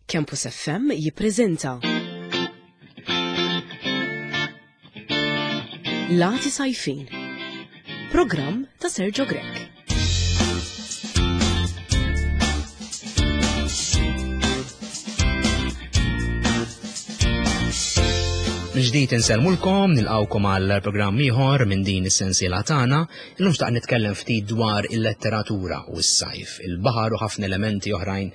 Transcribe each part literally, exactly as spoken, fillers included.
Campus F M jippreżenta Lati Sajfin, programm ta' Sergio Grech. Ġdid insellmulkom, nilqawkom għal programm ieħor minn din is-sensiela tagħna. Illum xtaqt nitkellem ftit dwar il-letteratura u s-sajf, il-baħar u ħafna elementi oħrajn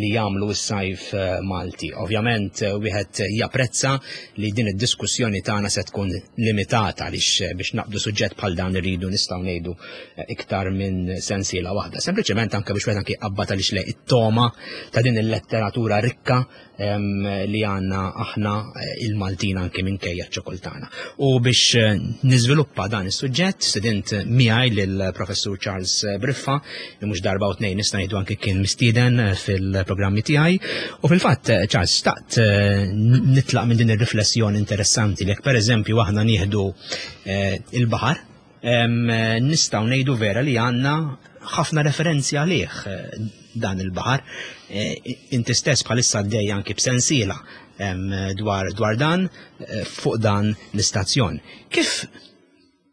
li jagħmlu s-sajf, eh, Malti. Ovvjament, eh, wieħed japprezza li din id-diskussjoni tagħna se tkun limitata għaliex, eh, biex naqbdu suġġett bħal dan irridu nistgħu ngħidu, eh, iktar minn sensiela waħda. Sempliċement anke biex wieħed anke jqabbad għaliex le it-toma ta' din il-letteratura rikka, em, li għandna aħna, eh, il-Maltin anke minkejja ċ-ċokoltana. U biex, eh, niżviluppa dan is-suġġett, student miegħi lill-Professur Charles Briffa, li mhux darba u tnejn nista' ngħidu anke kien mistieden, eh, fil-programmi tiegħi. U fil-fatt, eh, Charles, xtaqt, eh, nitlaq minn din ir-riflessjoni interessanti li jekk pereżempju aħna nieħdu, eh, il-baħar, em, nistgħu ngħidu vera li għandna ħafna referenzi għalih, eh, dan il-baħar. Eh, inti stess bħalissa għaddej anki b'sensiela, em, dwar, dwar dan, eh, fuq dan l-istazzjon. Kif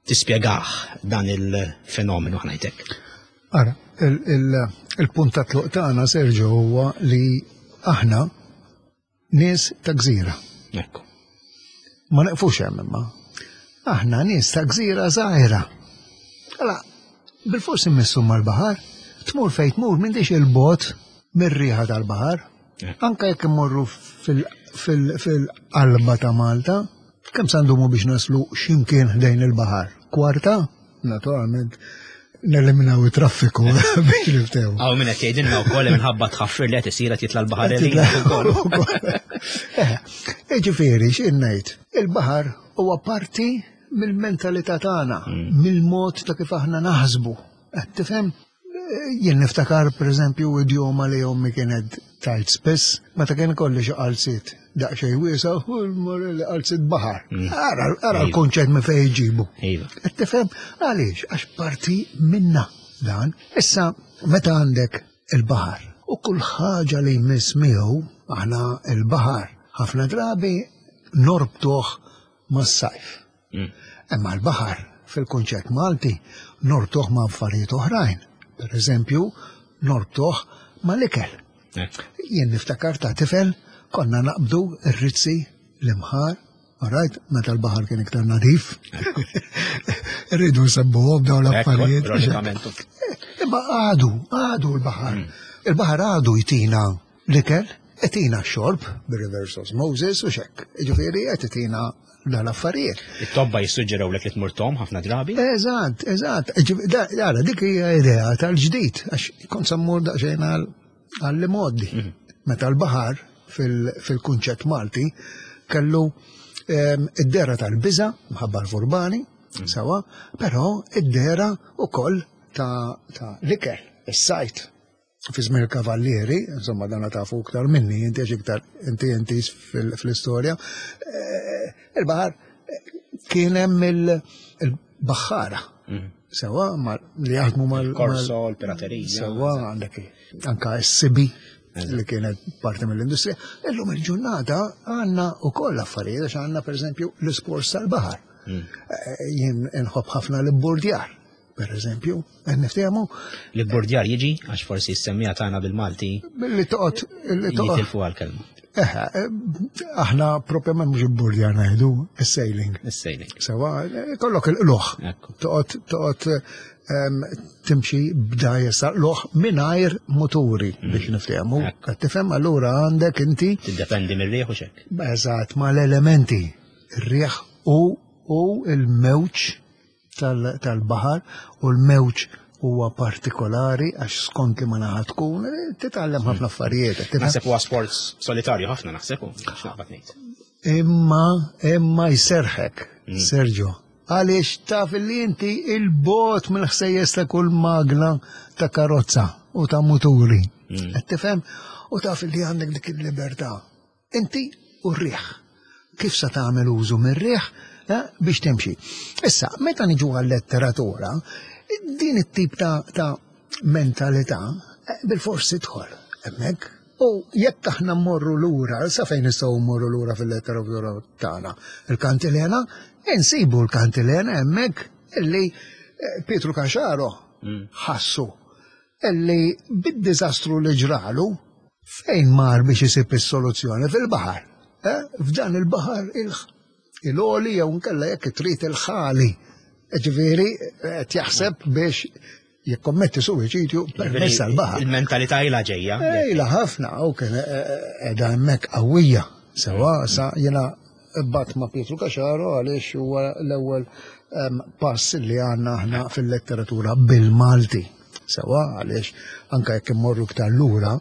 tispjegah dan il-fenomenu ħnajtek? Ara, il-, il-, il-punt ta' tluq tagħna, Sergio, huwa li aħna nies ta' gżira. Ekku. Ma neqfux hemm imma. Aħna nies ta' gżira żgħira. Alla, bil-fors immissu mal-baħar, tmur fejn tmur m'intix il-bot mir-riħa tal-baħar. Eh. Anka jekk immorru fil-, fil-, fil-qalba ta' Malta, kemm se ndumu biex naslu x'imkien ħdejn il-baħar? Kwarta? Naturalment, neliminaw it-traffiku biex niftew. Għaw minn qed jgħidilna wkoll li minħabba tħaffir li qed isir qed jitla' l-baħar Qed jitla' ukoll. ukoll. Eh, jiġifieri, x'in ngħid? Il-baħar huwa parti mill-mentalità tagħna, Mm. mill-mod ta' kif aħna naħsbu. Qed tifhem? Jien niftakar pereżempju idjoma li ommi kienet tajt spiss, meta kien ikolli xi qalziet daqsxejn wiesa' u l-morelli qalziet baħar. Mm. Ara, ara Iva. l-kunċett minn fejn jġibu. Iva. Qed tifhem? Għaliex? Għax parti minna dan. Issa meta għandek il-baħar u kull ħaġa li jmiss miegħu, aħna il-baħar ħafna drabi norbtuh mas-sajf. Mm. Imma l-baħar fil-kunċett Malti norbtuh ma' affarijiet oħrajn. Per eżempju, norbtuh ma' l-ikel. Ekk. Jien niftakar ta' tifel konna naqbdu r-rizzi l-imħar, all right, meta l-baħar kien iktar nadif. Rridu nsebbuhom dawn Ekku, l-affarijiet. ironikament. Imma għadu, għadu l-baħar. Mm. Il-baħar għadu jtina l-ikel, jtina x-xorb, bir-reverse osmosis u xek. Ġifieri qed itina dal-affarijiet. It-tobba jissuġġeraw lek li tmur tom ħafna drabi? Eżatt, eżatt. Ġif-, da-, ara, dik hija idea tal-ġdid, għax kont sammur daqsxejn għal-, għall-modi. Mhm. Meta l-baħar fil-, fil-kunċett Malti kellu, ehm, id-dera tal-biża' mħabba l-furbani, Mhm. sawa, però id-dera ukoll ta', ta' l-ikel, is-sajt. Fi żmien il-kavallieri, insomma dan tafu iktar minni, inti għax iktar inti inti fil-, fl-istorja, eh, il-baħar kien hemm il-, il-baħħara. Mhm. Sewa, ma-, li jaħdmu mal-, Il-korso, mal- l-piraterija. Sewa, għandek anka s-sibi Eżatt. li kienet parti mill-industrija. Illum il-ġurnata għandna wkoll affarijiet, għax għandna pereżempju l-isports tal-baħar. Mm. Eh, jien inħobb ħafna l-bordjar, per eżempju, qed niftehmu. L-bordjar jiġi, għax forsi s-semmija tagħna bil-Malti. Li toqgħod, li toqgħod. Jitilfu għall-kelma. Eħe, aħna propjament mhux il-bordjar ngħidu, is-sailing. Is-sailing. Sewa, kollok il-qluħ. Ekku. Toqgħod, toqgħod, ehm, timxi b'dajjes tal-qluħ mingħajr muturi Mm. biex niftehmu. Ekku. Qed tifhem, allura għandek inti Tiddependi mir-riħ u xek. Eżatt, mal-elementi, ir-riħ u, u l-mewġ tal-, tal-baħar, u l-mewġ huwa partikolari għax skont li ma naħa tkun, eh, titgħallem ħafna affarijiet, qed tifhem? Naħseb huwa sports solitarju ħafna naħseb u x'naqbad ngħid. Imma, imma jserħek, Mm. Sergio, għaliex taf li inti il-bot mill-ħsejjes ta' kull magna ta' karozza u ta' muturi. Mm. Qed tifhem? U taf li għandek dik il-libertà. Inti u r-riħ. Kif se tagħmel użu mir-riħ, eh, biex timxi. Issa, meta niġu għal-letteratura, din it-tip ta', ta' mentalità, eh, bil-forsi tidħol hemmhekk. U jekk aħna mmorru lura, sa fejn nistgħu mmorru lura fil-letteratura tagħna, il-kantilena, insibu l-kantilena hemmhekk illi eh, Pietru Caxaro mm. ħassu illi bid-diżastru li ġralu fejn mar biex isib is-soluzzjoni fil-baħar. Eh? F'dan il-baħar il-għoli jew nkella jekk trid il-ħali. Ġifieri qed jaħseb biex jikkommetti suwiċidju permezz tal-baħar. Il-mentalità ilha ġejja. Ilha ħafna u kien qiegħda hemmhekk qawwija. Sewa sa jiena bat ma' Pietru Caxaro għaliex huwa l-ewwel pass li għandna aħna fil-letteratura bil-Malti. Sewa għaliex anke jekk immorru iktar lura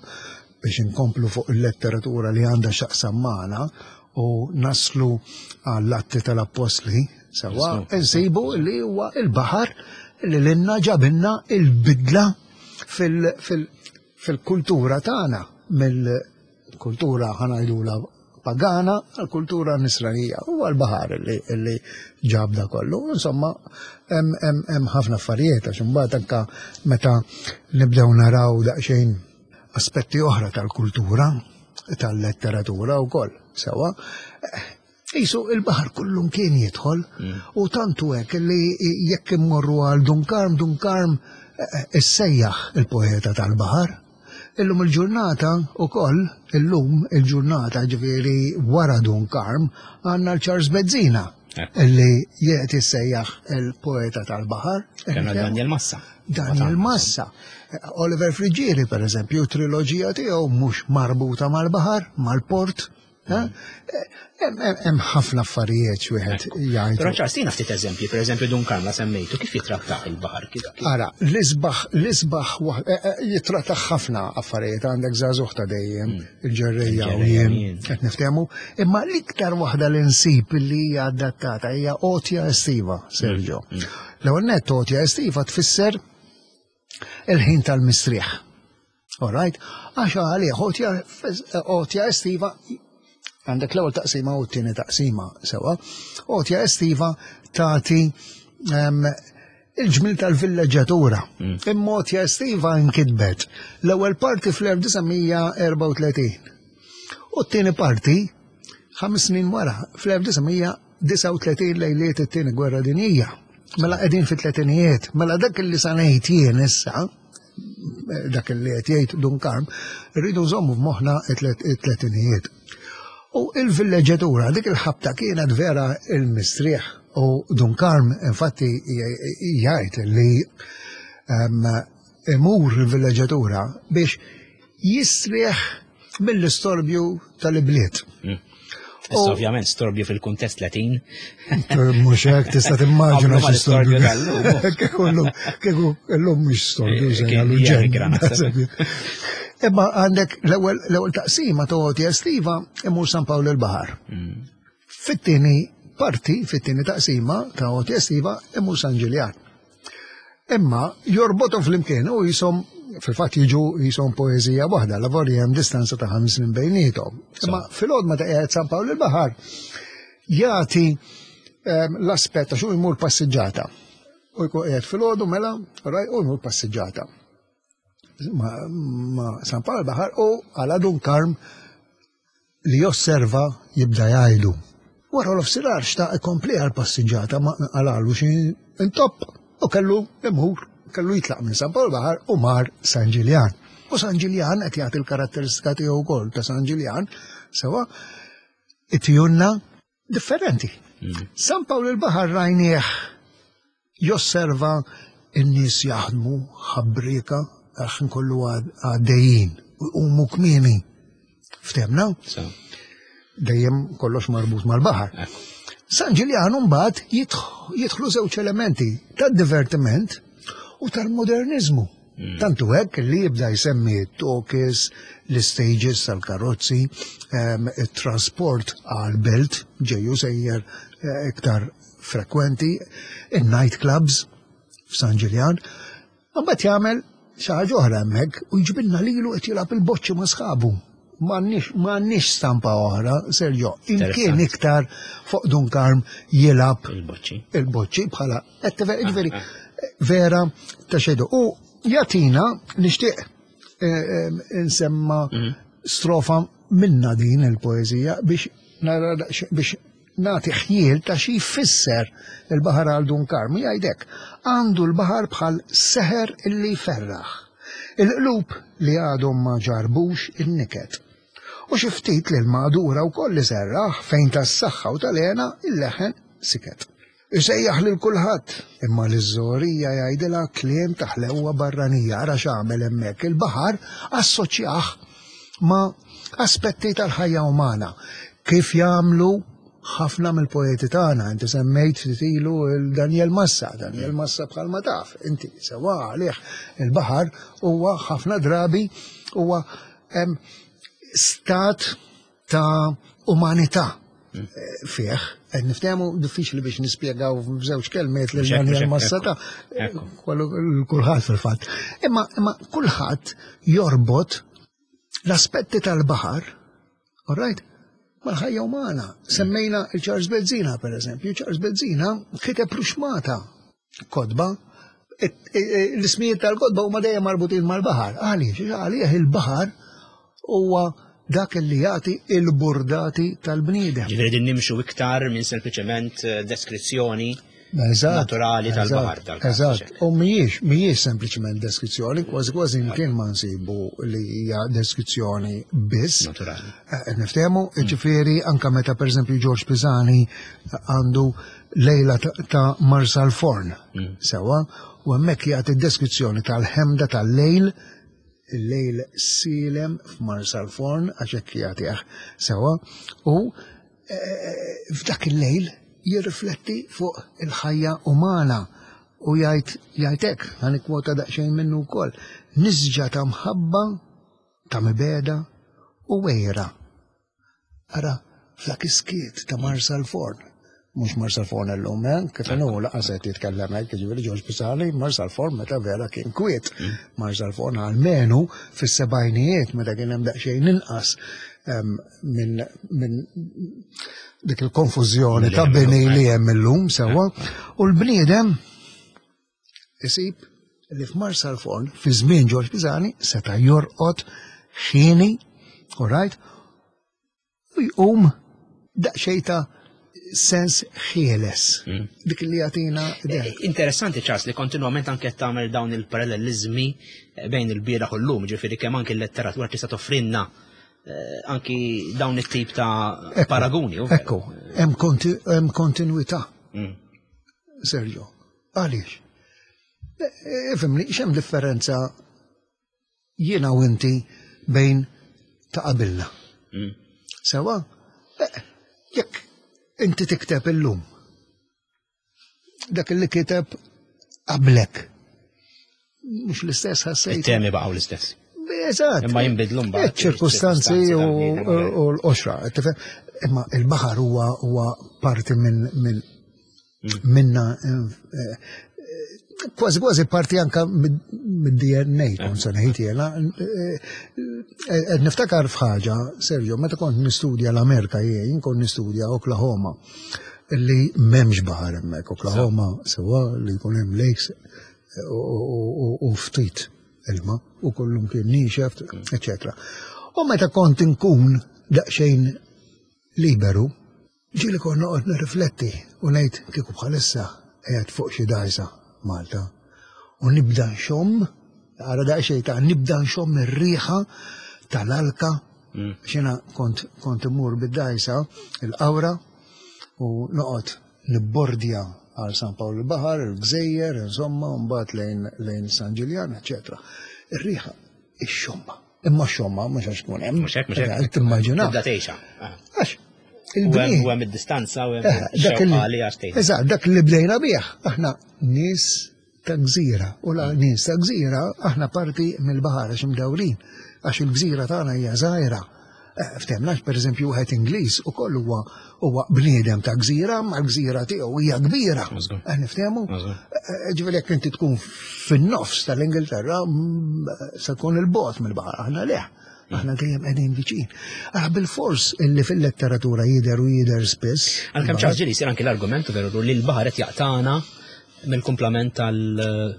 biex inkomplu fuq il-letteratura li għandha x'taqsam magħna u naslu għall-atti tal-appostli, sewa, insibu li huwa il-baħar li l-inna ġabinna il-bidla fil-kultura tagħna mill-kultura ħa ngħidulha pagana għal-kultura nisranija u għal-baħar li ġabda kollu. Insomma, hemm ħafna affarijiet għax imbagħad anka meta nibdew naraw daqsxejn aspetti oħra tal-kultura, tal-letteratura wkoll, sewa. Isu il-baħar kullum kien jidħol u tantu hekk li jekk immorru għal Dun Karm, Dun Karm issejjaħ il-poeta tal-baħar. Illum il-ġurnata u koll, illum il-ġurnata ġifieri wara Dun Karm, għandna l-Charles Bezzina illi jiet jissejjaħ il-poeta tal-baħar. Kena Daniel Massa. Daniel Massa. Oliver Friggieri, per eżempju, triloġija tiegħu mhux marbuta mal-baħar, mal-port. Hemm ħafna affarijiet wieħed jgħid. Però Charles, tina ftit eżempji, per eżempju Dun Karm la semmejtu, kif jitratta il-baħar? Ara, l-isbaħ, l-isbaħ jitratta ħafna affarijiet, għandek żagħżugħ ta' dejjem, il-ġerrejja u jien qed niftehmu, imma l-iktar waħda li nsib li hija adattata hija Għotja Estiva, Sergio. L-ewwel nett Għotja Estiva tfisser il-ħin tal-mistrieħ. All right? Għax għalih Għotja Estiva għandek l-ewwel taqsima u t-tieni taqsima sewa. Għotja Estiva tagħti il-ġmil tal-villeġġatura. Imma Għotja Estiva nkitbet l-ewwel parti fl-elf disa' mija erbgħa u tletin. U t-tieni parti ħames snin wara fl-elf disa' mija disgħa u tletin lejliet it-tieni gwerra dinjija. Mela qegħdin fit-tletinijiet, mela dak li sa ngħid jien issa, dak li qed jgħid Dun Karm, irridu nżommu f'moħħna it-tletinijiet. U il-villeġġatura, dik il-ħabta kienet vera il-mistrieħ. U Dun Karm, infatti, jgħid li imur il-villeġġatura biex jistrieħ mill-istorbju tal-ibliet. Issa ovvjament storbju fil-kuntest Latin. Mhux hekk tista' timmaġina xi storbju tal-lum. Kieku llum, kieku llum mhux storbju, se jagħmlu ġenn. Imma għandek l-ewwel taqsima ta' Għotja Estiva imur San Pawl il-Baħar. Fit-tieni parti, fit-tieni taqsima ta' Għotja Estiva imur San Ġiljan. Imma jorbothom flimkien u jisom fil-fatt jiġu jisom poeżija waħda, la vorja hemm distanza ta' ħames snin bejniethom. Imma fil-għodma ta' qiegħed San Pawl il-Baħar jagħti l-aspett għax hu jmur passiġġata. U jkun qiegħed fil-għodu mela, raj, u jmur passiġġata. Ma San Pawl il-Baħar u għala Dun Karm li josserva jibda jgħidu. Wara l-ofsirar xtaq ikompli għal-passiġġata ma għalalu xi intopp u kellu imur, kellu jitlaq minn San Pawl Baħar u mar San Ġiljan. U San Ġiljan qed jagħti l-karatteristika tiegħu wkoll ta' San Ġiljan, sewa it-tjunna differenti. San Pawl il-Baħar rajnieh josserva n-nies jaħdmu ħabrika għax nkollu għaddejjin u umu kmieni. Ftemna? Dejjem kollox marbut mal-baħar. San Ġiljan mbagħad jidħlu żewġ elementi tad-divertiment u tal-modernizmu. Tantu hekk li jibda jsemmi t-tokis, l-stages tal-karozzi, it-trasport għal-belt, ġeju sejjer iktar frekwenti, il-night clubs f'San Ġiljan. Mbagħad jagħmel xi ħaġa oħra hemmhekk u jġibilna lilu qed jilgħab il-boċċi ma' sħabu. M'għandniex stampa oħra, Sergio, imkien iktar fuq Dun Karm jilgħab il-boċċi. Il-boċċi bħala qed tifhem, jiġifieri vera ta' xejdu. U jagħtina nixtieq insemma strofa minna din il-poeżija biex nara biex nagħti ħjiel ta' xi jfisser il-baħar għal Dun Karm. Jgħidek, għandu l-baħar bħal seħer illi jferraħ. Il-qlub li għadhom ma ġarbux in-niket. U xi ftit li l-madura wkoll iserraħ fejn tas-saħħa u tal-hena il-leħen siket. Isejjaħ lil kulħadd, imma l-żorija jgħidilha kliem ta' ħlewwa barranija. Ara x'għamel hemmhekk, il-baħar assoċjah ma' aspetti tal-ħajja umana, kif jagħmlu ħafna mill-poeti tagħna. Inti semmejt ftit ilu il-Daniel Massa, Daniel Massa bħalma taf, inti sewa għalih il-baħar huwa ħafna drabi huwa em, stat ta' umanità fih. Qed niftehmu, diffiċli biex nispjegaw f'żewġ kelmiet lil Mhux hekk, Daniel mhux hekk, Massa ta' ekku. kwallu- kulħadd fil-fatt. Imma imma kulħadd jorbot l-aspetti tal-baħar, all right, mal-ħajja umana. Semmejna il-Charles Bezzina, per eżempju. Charles Bezzina kiteb ruxmata kotba. It- i- i- L-ismijiet tal-kotba huma dejjem marbutin mal-baħar. Għaliex? Għalih il-baħar huwa dak li jagħti il-burdati tal-bniedem. Ġifieri din nimxu iktar minn sempliċement eh, deskrizzjoni Eżatt, naturali tal-baħar eżatt, tal-każ. Eżatt, u mhijiex, mhijiex sempliċement deskrizzjoni, kważi kważi imkien ma nsibu li hija deskrizzjoni biss. Naturali. Eh, Niftehmu, ġifieri anka meta per eżempju George Pisani għandu Lejla ta- ta' Marsalforn, sewa, u hemmhekk jagħti deskrizzjoni tal-ħemda tal-lejl, il-lejl silem f'Marsalforn, għax hekk jagħtih sewa, u eh, f'dak il-lejl jirrifletti fuq il-ħajja umana u jgħid jgħid hekk, ħa nikkwota daqsxejn minnu wkoll, nisġa ta' mħabba, ta' mibegħda u għira. Ara, f'dak is-skiet ta' Marsalforn, mhux Marsalforn illum, eh? Kif inhu laqas qed jitkellem hekk, jiġifieri George Pisani, Marsalforn meta vera kien kwiet. Marsalforn almenu fis-sebgħinijiet meta kien hemm daqsxejn inqas em, minn min dik il-konfużjoni ta' bini li hemm illum sewwa, u l-bniedem isib li f'Marsalforn fi żmien George Pisani seta' jorqod ħieni, all right, u jqum daqsxejn ta' sens ħieles. Dik li jagħtina idea. Interessanti, Charles, li kontinuament anke tagħmel dawn il-parallelizmi bejn il-bieraħ u l-lum, ġifieri kemm anke l-letteratura tista' toffrinna eh, anki dawn it-tip ta' paragoni. U veru. Ekku, hemm konti- hemm kontinuità, Mm. Sergio. Għaliex? E, Ifhimni, x'hemm differenza jiena u inti bejn ta' qabilna? Mm. Sewa, eh, jekk inti tikteb illum, dak li kiteb qablek, mhux l-istess ħassejt. It-temi baqgħu l-istess. Eżatt. Imma jinbidlu mbagħad Iċ-ċirkustanzi iċ-ċirkustanzi u tal-bniedem, u l-qoxra. Tifhem? Imma il-baħar huwa huwa parti minn minn minna eh, eh, kważi kważi parti anka mid-D N A, kont se ngħid jiena. Eh, eh, Qed niftakar f'ħaġa, Sergio, meta kont nistudja l-Amerika jien, kont nistudja Oklahoma, li m'hemmx baħar hemmhekk. Oklahoma sewa li jkun hemm lakes u- u u- u ftit ilma u kollum kien niexef, eccetera. U meta kont inkun daqsxejn liberu, ġieli kont noqgħod nirrifletti u ngħid kieku bħalissa qiegħed fuq xi dgħajsa Malta u nibda nxomm, ara daqsxejn ta' nibda nxomm ir-riħa tal-alka, xina kont kont immur bid-dgħajsa il-Qawra u noqgħod nibbordja għal San Pawl il-Baħar, il-Gżejjer, insomma, u mbagħad lejn lejn San Ġiljan, eċetera. Ir-riħa, ix-xomma. Imma x-xomma mhux għax tkun hemm. Mhux hekk, mhux hekk. Timmaġina. Tibda tgħixha. Ah. Għax U hemm il-bniedem u hemm id-distanza u hemm Eh, dak ix-xewqa li għax tgħid. Eżatt, dak li bdejna bih. Aħna nies ta' gżira. U la nies ta' gżira, aħna parti mill-baħar għax imdawrin. Għax il-gżira tagħna hija żgħira. Eh, Ftehmna, per eżempju, wieħed Ingliż ukoll huwa huwa bniedem ta' gżira, ma l-gżira tiegħu hija kbira. Mażgur. Eh, Niftehmu? Mażgur. Eh, Ġifieri jekk inti tkun fin-nofs tal-Ingilterra, mm, se tkun il-bogħod mill-baħar, aħna le. Aħna dejjem qegħdin viċin. Ara bil-fors illi fil-letteratura jidher u jidher spiss. Għalkemm Charles ġieli jsir anki l-argument veru li l-baħar qed jaqtana mill-kumplament tal-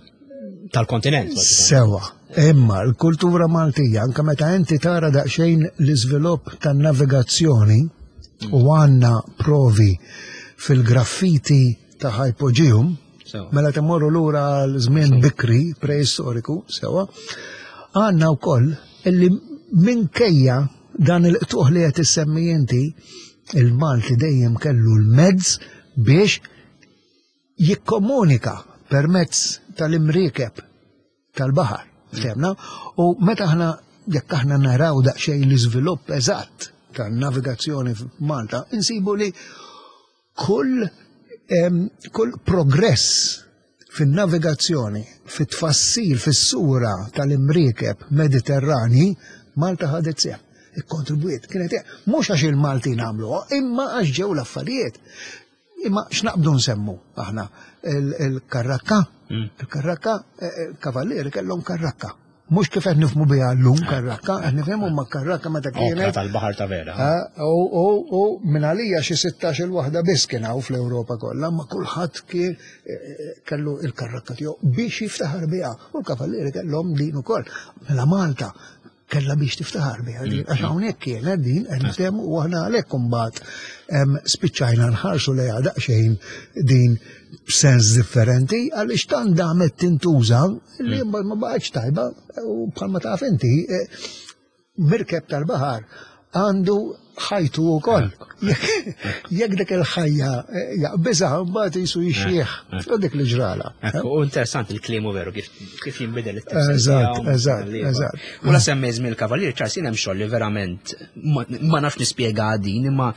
tal-kontinent. Sewa, Imma l-kultura Maltija, anke meta inti tara daqsxejn l-iżvilupp tan-navigazzjoni u għandna provi fil-graffiti ta' Hypogeum, mela temmorru lura l-żmien bikri preistoriku, sewa, għandna wkoll illi minkejja dan il-qtuħ li qed issemmi inti, il-Malti dejjem kellu l-mezz biex jikkomunika permezz tal-imriekeb tal-baħar. Ftemna? U meta aħna jekk aħna naraw daqsxejn l-iżvilupp eżatt tan-navigazzjoni f'Malta, insibu li kull kull progress fin-navigazzjoni, fit-tfassil, fis-sura tal-imriekeb Mediterrani, Malta ħadet sehem. Ikkontribwiet, kienet mhux għax il-Maltin għamluha, imma għax ġew l-affarijiet. Imma x'naqbdu nsemmu aħna il-karrakka, il-karrakka, il-kavallieri kellhom karrakka. Mhux kif qed nifhmu biha llum karrakka, qed nifhmu ma karrakka meta kienet. Tal-baħar ta' vera. U u minn għalija xi sittax-il waħda biss kien hawn fl-Ewropa kollha, ma kulħadd kien kellu il-karrakka tiegħu biex jiftaħar biha. U l-kavallieri kellhom din ukoll. Mela Malta kella biex tiftaħar biha din, għax hawnhekk kienet din qed niftehmu u aħna għalhekk imbagħad spiċċajna nħarsu lejha daqsxejn din b'sens differenti għaliex tant damet tintuża li mbagħad ma baqgħetx tajba u bħalma taf inti mirkeb tal-baħar għandu ħajtu wkoll. Jekk dik il-ħajja jaqbiżha mbagħad jisu jixjieħ. U dik li ġrala. U interessanti il-kliem veru kif kif jinbidel it-tifsir. Eżatt, eżatt, eżatt. U la semmi żmien il-Kavalier Charles jien hemm xogħol li verament ma nafx nispjega din imma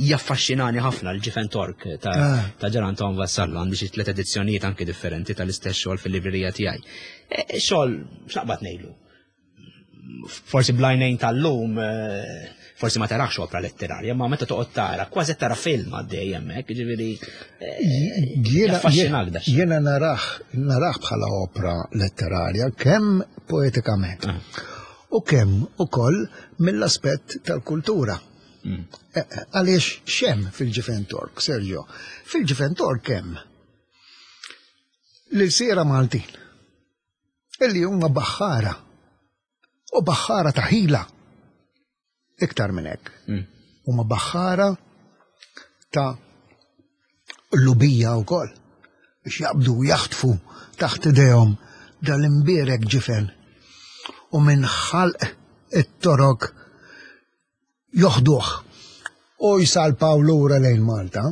jaffaxxinani ħafna l-Ġifen Tork ta' ta' Ġeran Anton Vassallo, għandi xi tliet edizzjonijiet anke differenti tal-istess xogħol fil-librerija tiegħi. Xogħol x'naqbad ngħidlu? Forsi blajnejn tal-lum, forsi ma tarax opra letterarja, ma meta toqgħod tara, kważi tara film għaddej hemmhekk, jiġifieri jaffaxxinak da. Jiena narah narah bħala opra letterarja kemm poetikament u kemm ukoll mill-aspett tal-kultura. Għaliex x'hemm fil-Ġifen Tork, Sergio? Fil-Ġifen Tork hemm l-ilsiera Maltin illi huma baħħara u baħħara ta' ħila. Iktar minn hekk. Huma baħħara ta' lubija wkoll biex jaqbdu u jaħtfu taħt idejhom dal-imbierek ġifen u minn ħalq it-torok joħduh u jsalpaw lura lejn Malta.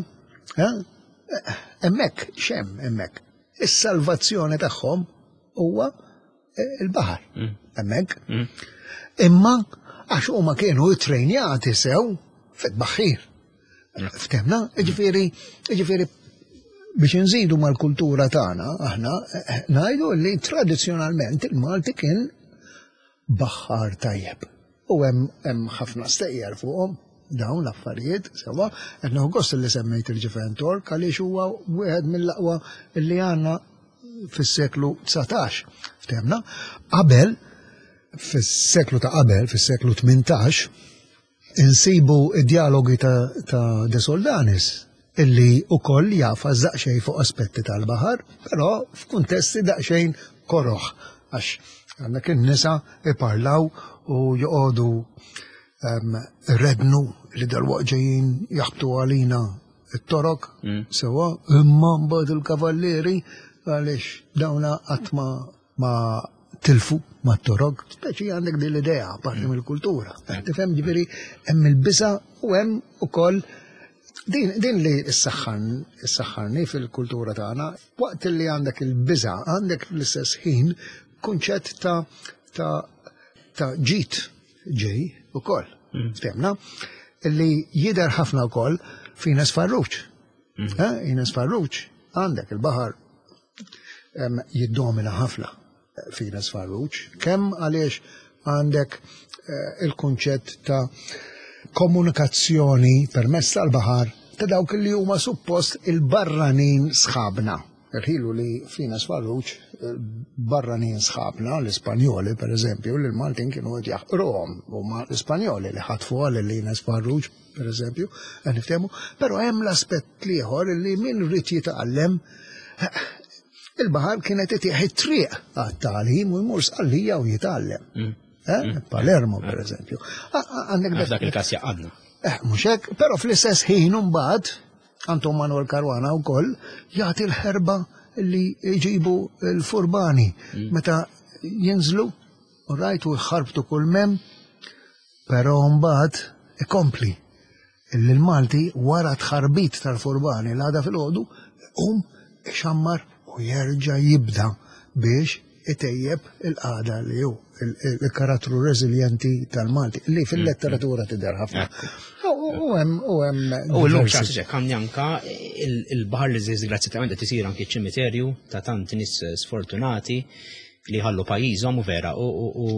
Hemmhekk x'hemm hemmhekk? Is-salvazzjoni tagħhom huwa il-baħar. Hemmhekk. Imma għax huma kienu ttrejnjati sew fit-tbaħħir. Ftemna, jiġifieri, jiġifieri biex nżidu mal-kultura tagħna aħna ngħidu li tradizzjonalment il-Malti kien baħħar tajjeb. U hemm ħafna stejjer fuqhom dawn l-affarijiet, sewa, qed nieħu gost li semmejt il-Ġifen Tork għaliex huwa wieħed mill-aqwa li għandna fis-seklu dsatax. Ftemna, qabel fis-seklu ta' qabel, fis-seklu tmintax, insibu id-dialogi ta', ta De Soldanis illi ukoll jafas daqsxejn fuq aspetti tal-baħar, però f'kuntesti daqsxejn koroħ, għax għandek in-nisa iparlaw u joqogħdu rednu li dalwaqt ġejjin jaħbtu għalina it-torok, sewa, imma mbagħad il-kavallieri għaliex dawna qatt ma ma tilfu ma torok, speċi għandek din l-idea parti mill-kultura. Tifhem ġifieri hemm il-biża u hemm ukoll din, din li s-saħħan, s-saħħarni fil-kultura tagħna, waqt li għandek il-biża għandek fl-istess ħin kunċett ta' ta' ta' ġid ġej ukoll. Ftemna? Illi jidher ħafna wkoll f'Ines Farrugia. Ines Farrugia għandek il-baħar jiddomina ħafna f'Ines Farrugia, kemm għaliex għandek il-kunċett ta' komunikazzjoni permezz tal-baħar ta' dawk li huma suppost il-barranin sħabna. Irħilu li f'Ines Farrugia barranin sħabna, l-Ispanjoli per eżempju, li l-Maltin kienu qed jaħqruhom, huma l-Ispanjoli li ħatfu għal li Ines Farrugia per eżempju, qed niftehmu, però hemm l-aspett ieħor li min rrid jitgħallem Il-baħar kienet itih it-triq għat-tagħlim u jmur Sqallija u jitgħallem. Mm. Eh? Mm. Palermo, per eżempju. Għandek dak il-każ jaqadna. Eh, mhux hekk, però fl-istess ħin imbagħad Anton Manuel Caruana wkoll jagħti l-ħerba li jġibu l-furbani mm. meta jinżlu u rajtu jħarbtu kull mem, però mbagħad ikompli illi l-Malti wara tħarbit tal-furbani l-għada fil-ħodu um ixammar u jerġa' jibda biex itejjeb il-qagħda li hu il-karattru reżiljenti tal-Malti li fil-letteratura tidher ħafna. U hemm u hemm. U llum ċarsi ċek anka il-baħar li disgrazzjatament qed isir anki ċimiterju ta' tant nies sfortunati li ħallu pajjiżhom u vera u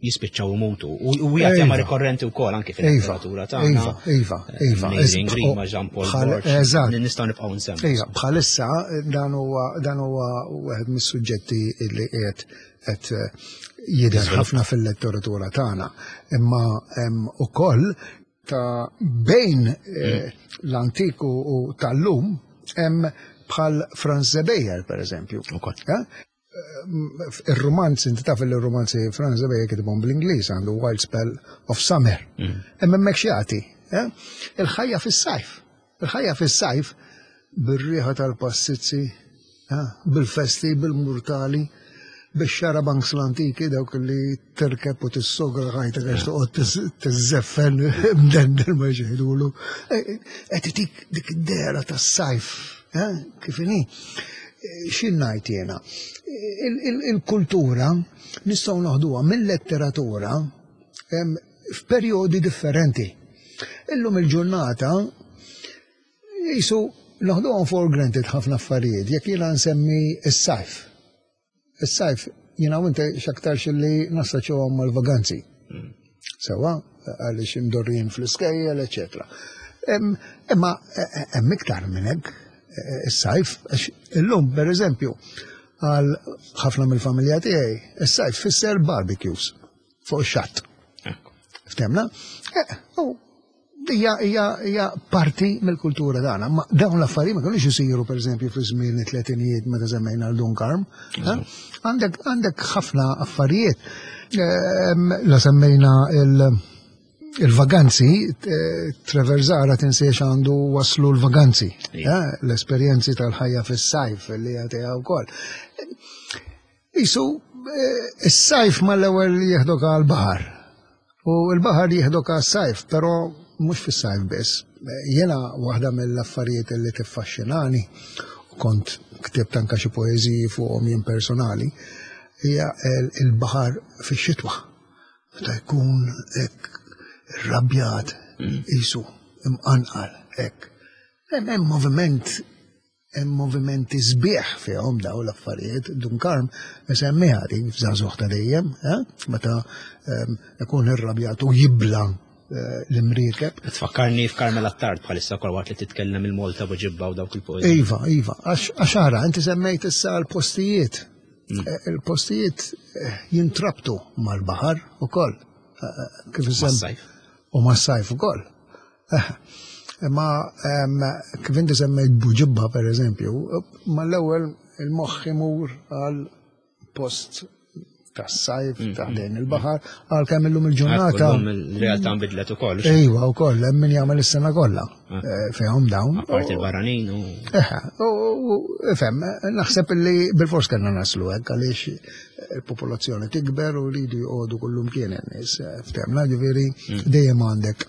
jispiċċaw imutu. U hija tema rikorrenti wkoll anki fil-letteratura tagħna. Iva, iva, iva. Mary Grima, Jean Paul Borg. Eżatt. Nistgħu nibqgħu nsemmu. Iva, bħalissa dan huwa dan huwa wieħed mis-suġġetti li qiegħed qed jidher ħafna fil-letteratura tagħna. Imma hemm ukoll ta' bejn eh, l-antik u tal-lum hemm bħal Franz Zebeyer, per eżempju. Ir-romanzi, inti taf il-romanzi Franz Zebeyer kitibhom bl-Ingliż, għandu Wild Spell of Summer. Imma hemmhekk x'jagħti? Il-ħajja fis-sajf. Il-ħajja fis-sajf bir-riħa tal-passizzi, bil-festi, bil-murtali, bix-xarabanks l-antiki dawk li terkeb u tissogra ħajtek għax toqgħod tiżżeffen mdendel ma jxeħdulu. Qed itik dik id-dehra tas-sajf, kif inhi. X'in ngħid jiena? Il-kultura nistgħu noħduha mill-letteratura f'perjodi differenti. Illum il-ġurnata jisu noħduhom for granted ħafna affarijiet, jekk jiena nsemmi s-sajf. Is-sajf jiena u inti x'aktarx li nassoċjawhom mal-vaganzi. Sewa, għaliex imdorrijin fl-iskejjel, eċetera. Imma hemm iktar minn hekk is-sajf, għax illum pereżempju għal ħafna mill-familja tiegħi, is-sajf fisser barbecues fuq ix-xatt. Ftemna? U hija hija hija parti mill-kultura tagħna. Ma dawn l-affarijiet ma kinux isiru pereżempju fi żmien it-tletinijiet meta semmejna l Dun Karm. Għandek għandek ħafna affarijiet. La semmejna il- il-vaganzi, Trevor Zara tinsiex għandu waslu l-vaganzi, l-esperjenzi tal-ħajja fis-sajf li jagħtiha wkoll. Isu, is-sajf mal-ewwel jieħdok għall-baħar. U l-baħar jieħdok għas-sajf, però mhux fis-sajf biss. Jiena waħda mill-affarijiet li tiffaxxinani, u kont ktibt anke xi poeżiji fuqhom jien personali, hija il-baħar fix-xitwa. Meta jkun hekk irrabjat, isu imqanqal hekk. Hemm moviment, hemm movimenti sbieħ fihom daw l-affarijiet. Dun Karm isemmiha dik f'Żagħżugħ ta' dejjem, meta ikun irrabjat u jibla l-imriekeb. Tfakkarni f'Carmel Attard bħalissa kol waqt li titkellem il-Malta Buġibba u dawk il-poeżiji. Iva, iva, għax ara, inti semmejt issa l-postijiet. Il-postijiet jintrabtu mal-baħar ukoll. Kif Mas-sajf. U mas-sajf ukoll. Imma kif inti semmejt Buġibba per eżempju, mal-ewwel il-moħħ imur għal post tas-sajf, ta' ħdejn il-baħar, għal kemm illum il-ġurnata. Illum il-realtà nbidlet ukoll. Iva, wkoll, hemm min jagħmel is-sena kollha fejhom dawn. Apparti il-barranin u. Eħe, u ifhem, naħseb li bil-fors kellna naslu hekk għaliex il-popolazzjoni tikber u rridu joqogħdu kullum kien in-nies, ftemna, ġifieri dejjem għandek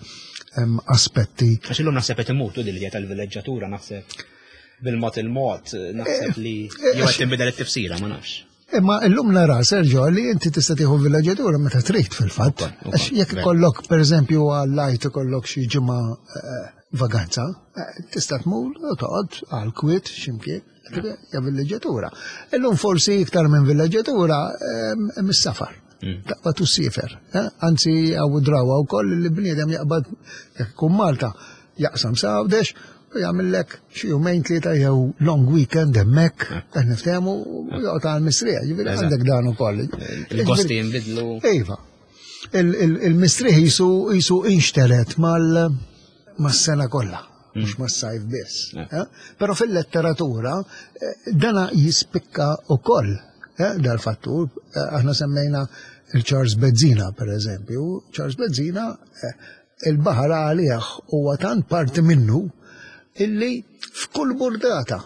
aspetti. Għax illum naħseb qed imutu din l-idea tal-villeġġatura, naħseb bil-mod il-mod, naħseb li jew qed tinbidel it-tifsira, ma nafx. Imma illum nara, Sergio, li inti tista' tieħu villeġġatura meta trid fil-fatt. Għax jekk ikollok, pereżempju, għal-lajt ikollok xi ġimgħa vaganza, tista' tmur u toqgħod għal kwiet x'imkien, hija villeġġatura. Illum forsi iktar minn villeġġatura mis-safar. Taqbad u ssifer. Anzi, hawn drawa wkoll li bniedem jaqbad jekk ikun Malta, jaqsam sa Għawdex u jagħmellek xi jumejn tlieta jew long weekend hemmhekk, qed niftehmu, u joqgħod għal mistrieħ, ġifieri għandek dan ukoll. Il-gosti jinbidlu. Iva. Il-mistrieħ jisu jisu inxteret mal mas-sena kollha. mhux mas-sajf biss. Eh? Però fil-letteratura eh, dana jispikka ukoll eh, dal-fattur. Aħna semmejna il-Charles Bezzina, per eżempju. Charles Bezzina, il-baħar għalih huwa tant parti minnu illi f'kull burdata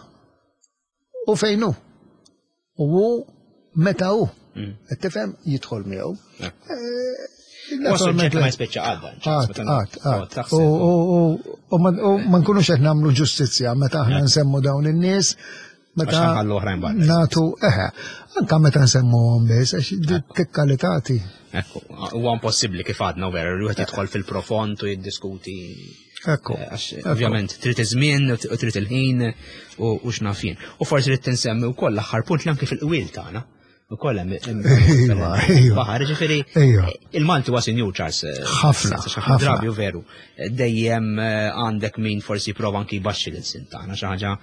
u fejnu u hu meta hu. Qed tifhem, jidħol miegħu. Huwa suġġett li ma jispiċċa għadda. Qatt, qatt, qatt. U u- u ma u ma nkunux qed nagħmlu ġustizzja meta aħna nsemmu dawn in-nies, meta Għax nħallu oħrajn barra. Natu, eħe, anka meta nsemmuhom biss, għax tikkalitati. Ekku, huwa impossibbli kif għadna vera, li wieħed jidħol fil-profond u jiddiskuti. Ekku. Għax ovvjament trid iż-żmien u trid il-ħin u u x'naf jien. U forsi trid tinsemmi wkoll l-aħħar punt li anke fil-qwiel tagħna. Ukoll hemm hemm Iva, iva. baħar, ġifieri Iva. il-Malti huwa sinjur Charles. eh, Ħafna, sens, għax ħafna. Drabi u veru. Dejjem eh, għandek min forsi prova anki jbaxxi l-sin tagħna xi ħaġa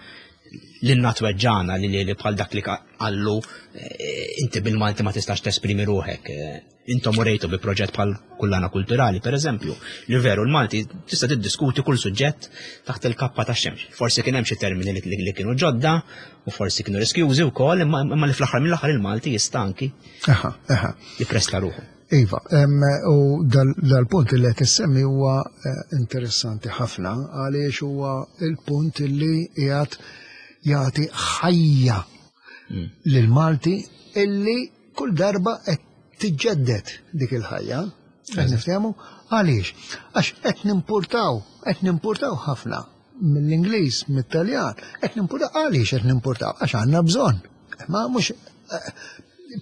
li natweġġana li li bħal dak li qallu eh, inti bil-Malti ma tistax tesprimi ruħek. eh, Intom urejtu bi proġett bħal kullana kulturali, per eżempju, li veru l-Malti tista' tiddiskuti kull suġġett taħt il-kappa ta' xemx. Forsi kien hemm xi termini li, li, li kienu ġodda u forsi kienu riskjużi wkoll, imma imma li fl-aħħar mill-aħħar il-Malti jista' anki Aha, aha. jippresta ruħu. Iva, em, u dal- dal-punt li qed issemmi huwa eh, interessanti ħafna għaliex huwa il-punt li qiegħed jagħti ħajja lil Malti illi kull darba qed tiġġedded dik il-ħajja. Qed niftehmu għaliex? Għax qed nimpurtaw, qed nimpurtaw ħafna mill-Ingliż, mit-Taljan, qed nimpurtaw għaliex qed nimpurtaw? Għax għandna bżonn. Ma mhux eh,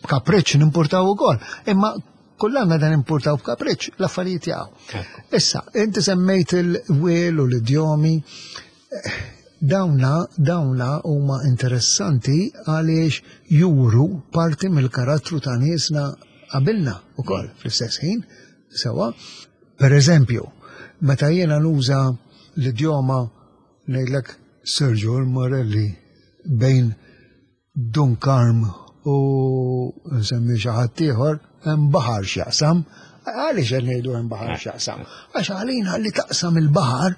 b'kapriċċ nimpurtaw ukoll, imma kullanna dan impurtaw b'kapriċċ l-affarijiet jaqgħu. Issa, inti semmejt il-wiel u l-idjomi, eh, dawna, dawna huma interessanti għaliex juru parti mill-karattru ta' niesna qabilna ukoll fl-istess ħin, sewa. Per eżempju, meta jiena nuża l-idjoma ngħidlek Sergio Morelli bejn Dun Karm u nsemmi xi ħadd ieħor hemm baħar x'jaqsam. Għaliex qed ngħidu hemm baħar x'jaqsam? Għax għalina li taqsam il-baħar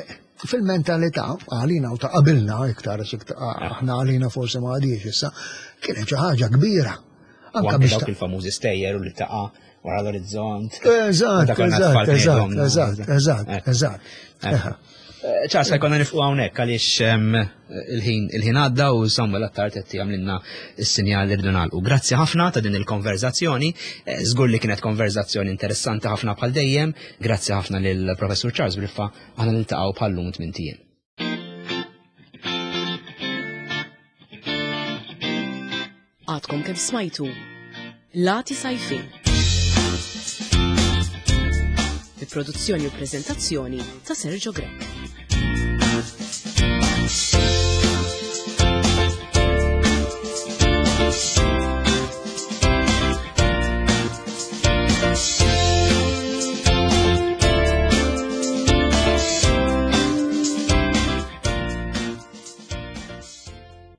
eh, fil-mentalità għalina u ta' qabilna iktar għax iktar- aħna għalina forsi ma għadix issa, kienet xi ħaġa kbira. U Anka anke biex dawk ta' il-famużi stejjer u li taqa' wara l-orizzont. Eżatt, Dak għandna eżatt, tfal eżatt, ngħidhom, eżatt, eżatt, Ekku. eżatt. Ekku. Eħe. Eh, Charles, jkollna nifqu hawnhekk għaliex em, il-ħin il-ħin għadda u Samuel Attard qed jagħmlilna s-sinjal li rridu nagħlqu. Grazzi ħafna ta' din il-konverzazzjoni. Eh, Żgur li kienet konverzazzjoni interessanti ħafna bħal dejjem. Grazzi ħafna lil Professur Charles Briffa, aħna niltaqgħu bħal-lum tmien ijiem. Għadkom kemm smajtu Lati Sajfin. Bi produzzjoni u prezentazzjoni ta' Sergio Grech.